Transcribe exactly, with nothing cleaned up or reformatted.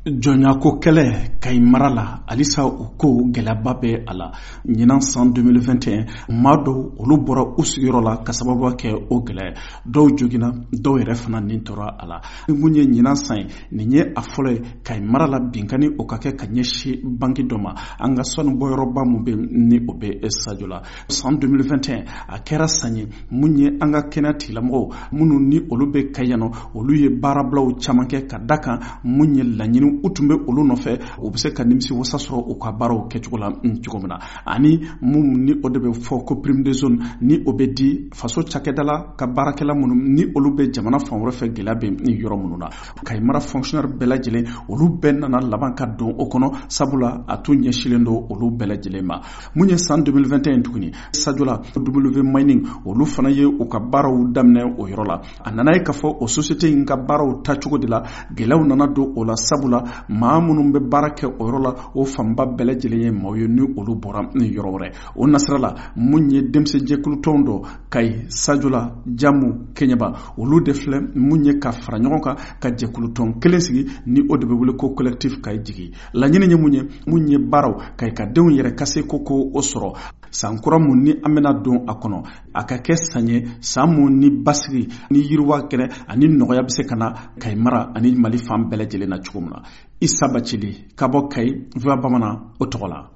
Jɔnyako kɛlɛ Kayi mara la, halisa o ko gɛlɛyaba bɛ a la. Ɲinan san deux mille vingt et un, maa dɔw olu bɔra u sigiyɔrɔ la ka sababu kɛ o gɛlɛya, dɔw joginna, dɔw yɛrɛ fana nin tora a la. Mun ye ɲinan san ye, nin ye a fɔlɔ ye Kayi mara la binkanni o ka kɛ ka ɲɛsin banki dɔ ma, an ka sanu bɔyɔrɔba mun bɛ ni o bɛ Sadio la. San deux mille vingt et un a kɛra san ye mun ye an ka kɛnɛya tigilamɔgɔw minnu ni olu bɛ Kayi yan nɔ, olu ye baarabilaw caman kɛ ka da kan mun ye laɲini u tun bɛ olu nɔfɛ, u bɛ se ka nimisi wasa sɔrɔ u ka baaraw kɛcogo la cogo min na. Ani mun ni o de bɛ fɔ ko prime de zone, ni o bɛ di faso cakɛda la ka baarakɛla minnu ni olu bɛ jamana fan wɛrɛ fɛ, gɛlɛya bɛ ni yɔrɔ minnu na. Kayi mara fonctionnaire bɛɛ lajɛlen olu bɛɛ nana laban ka don o kɔnɔ, sabula a tun ɲɛsinlen don olu bɛɛ lajɛlen ma. Mun ye san deux mille vingt et un tuguni, Sadio la W Mining olu fana ye u ka baaraw daminɛ o yɔrɔ la. A nana ye k'a fɔ o société in ka baaraw taacogo de la gɛlɛyaw nana don o la, sabula maa minnu bɛ baara kɛ o yɔrɔ la, o fanba bɛɛ lajɛlen ye maaw ye ni olu bɔra ni yɔrɔ wɛrɛ. O nasira la mun ye denmisɛnjɛkulu tɔn dɔ Kayi, Sadio la, Jamu, Keɲeba, olu de filɛ mun ye ka fara ɲɔgɔn kan ka jɛkulu tɔn kelen sigi ni o de bɛ wele ko collectif Kayi jigi. Laɲini ye mun ye, mun ye baaraw Kayi ka denw yɛrɛ ka se ko ko o sɔrɔ. San kura mun ni an bɛna don a kɔnɔ, a ka kɛ san ye, san mun ni basigi ni yiriwa kɛnɛ ani nɔgɔya bɛ se ka na Kayi mara ani Mali fan bɛɛ lajɛlen na cogo min na. Isa Bacili ka bɔ Kayi, V O A Bamanan o tɔgɔ la.